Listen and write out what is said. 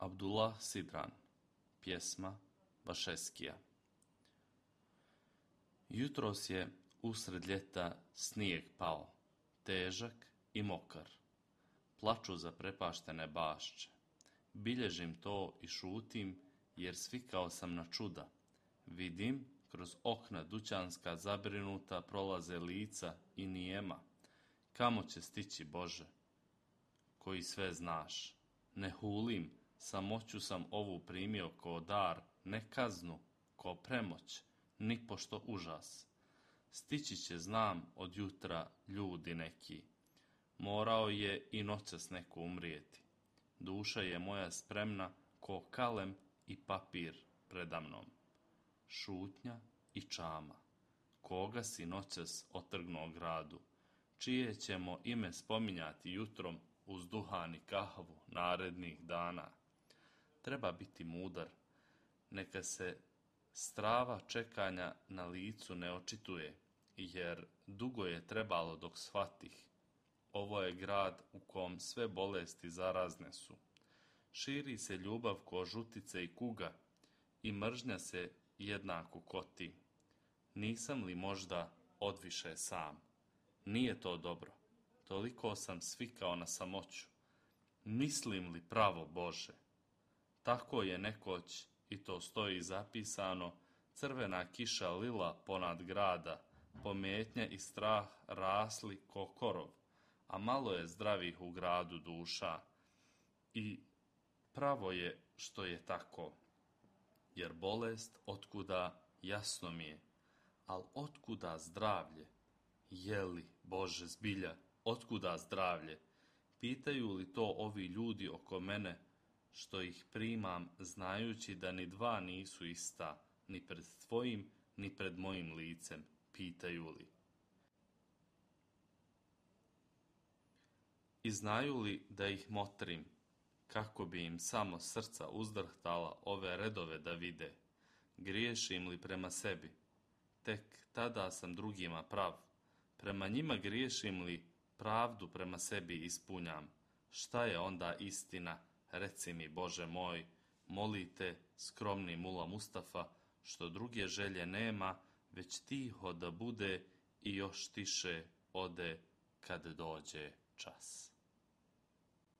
Abdullah Sidran, pjesma Vašeskija. Jutros je usred ljeta snijeg pao, težak i mokar. Plaču zaprepaštene bašče. Bilježim to i šutim, jer svikao sam na čuda. Vidim, kroz okna dućanska zabrinuta prolaze lica i nijema. Kamo će stići, Bože, koji sve znaš? Ne hulim, samoću sam ovu primio ko dar, ne kaznu, ko premoć, ni pošto užas. Stići će, znam, od jutra ljudi neki. Morao je i noćas neko umrijeti. Duša je moja spremna ko kalem i papir predamnom. Šutnja i čama. Koga si noćas otrgnuo gradu? Čije ćemo ime spominjati jutrom uz duhan i kahvu narednih dana? Treba biti mudar. Neka se strava čekanja na licu ne očituje, jer dugo je trebalo dok shvatih. Ovo je grad u kom sve bolesti zarazne su. Širi se ljubav ko žutice i kuga i mržnja se jednako koti. Nisam li možda odviše sam? Nije to dobro. Toliko sam svikao na samoću. Mislim li pravo, Bože? Tako je nekoć, i to stoji zapisano, crvena kiša lila ponad grada, pometnja i strah rasli ko korov, a malo je zdravih u gradu duša. I pravo je što je tako, jer bolest otkuda jasno mi je, al otkuda zdravlje? Je li, Bože, zbilja, otkuda zdravlje? Pitaju li to ovi ljudi oko mene, što ih primam, znajući da ni dva nisu ista, ni pred tvojim, ni pred mojim licem? Pitaju li? I znaju li da ih motrim, kako bi im samo srca uzdrhtala ove redove da vide? Griješim li prema sebi? Tek tada sam drugima prav. Prema njima griješim li, pravdu prema sebi ispunjam. Šta je onda istina? Reci mi, Bože moj, molite skromni mula Mustafa, što druge želje nema, već tiho da bude i još tiše ode kad dođe čas.